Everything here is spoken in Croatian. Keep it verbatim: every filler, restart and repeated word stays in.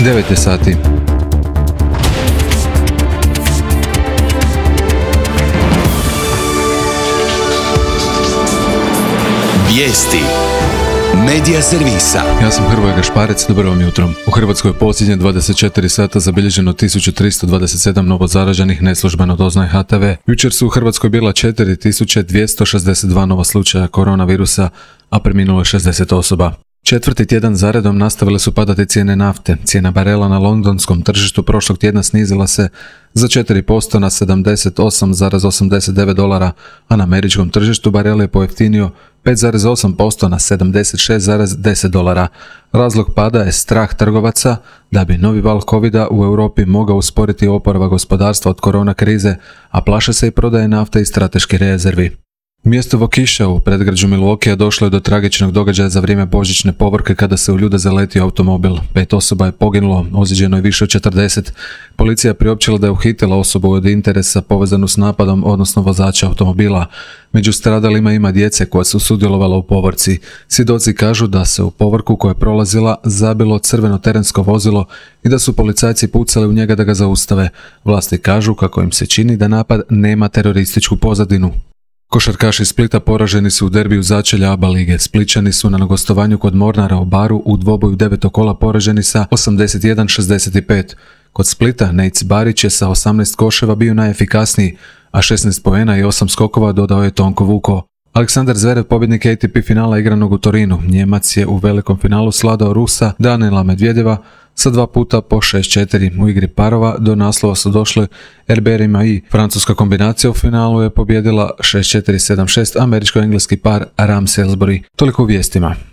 devet je sati. Vijesti Medija servisa. Ja sam Hrvoje Gašparec, dobro vam jutro. U Hrvatskoj je posljednje dvadeset četiri sata zabilježeno tisuću tristo dvadeset sedam novozaraženih, neslužbeno doznaje H T V. Jučer su u Hrvatskoj bila četiri tisuće dvjesto šezdeset dva nova slučaja koronavirusa, a preminulo je šezdeset osoba. Četvrti tjedan zaredom nastavile su padati cijene nafte. Cijena barela na londonskom tržištu prošlog tjedna snizila se za četiri posto na sedamdeset osam zarez osamdeset devet dolara, a na američkom tržištu barel je pojeftinio pet zarez osam posto na sedamdeset šest zarez deset dolara. Razlog pada je strah trgovaca da bi novi val covida u Europi mogao usporiti oporavak gospodarstva od korona krize, a plaše se i prodaje nafte i strateških rezervi. Mjesto Waukesha u predgrađu Milwaukeea došlo je do tragičnog događaja za vrijeme božićne povorke kada se u ljude zaletio automobil. Pet osoba je poginulo, ozlijeđeno je više od četrdeset. Policija je priopćila da je uhitila osobu od interesa povezanu s napadom, odnosno vozača automobila. Među stradalima ima djece koja su sudjelovala u povorci. Svjedoci kažu da se u povorku koja je prolazila zabilo crveno terensko vozilo i da su policajci pucali u njega da ga zaustave. Vlasti kažu kako im se čini da napad nema terorističku pozadinu. Košarkaši Splita poraženi su u derbiju začelja A B A lige. Splićani su na gostovanju kod Mornara u Baru u dvoboju devetog kola poraženi sa osamdeset jedan šezdeset pet. Kod Splita Nejc Barić je sa osamnaest koševa bio najefikasniji, a šesnaest poena i osam skokova dodao je Tonko Vuko. Aleksandar Zverev, pobjednik A T P finala igranog u Torinu. Njemac je u velikom finalu sladao Rusa Daniela Medvedjeva sa dva puta po šest četiri. U igri parova do naslova su došli Herbert i francuska kombinacija u finalu je pobjedila šest četiri sedam šest američko-engleski par Ram Salisbury. Toliko u vijestima.